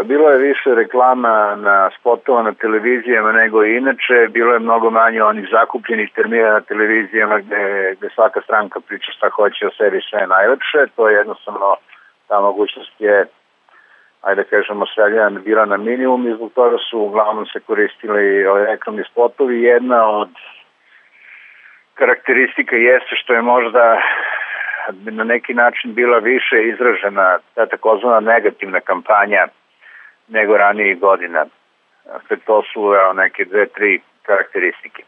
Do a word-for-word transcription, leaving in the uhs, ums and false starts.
Bilo je više reklama na spotova na televizijama nego inače, bilo je mnogo manje onih zakupljenih termina na televizijama gde, gde svaka stranka priča šta hoće o sebi, sve je najlepše. To je jednostavno, ta mogućnost je, ajde da kažemo, svedljena bila na minimum i zbog toga su uglavnom se koristili ove reklamni spotovi. Jedna od karakteristika jeste što je možda na neki način bila više izražena ta takozvana negativna kampanja nego ranijih godina. Dakle, to su evo, neke dve, tri karakteristike.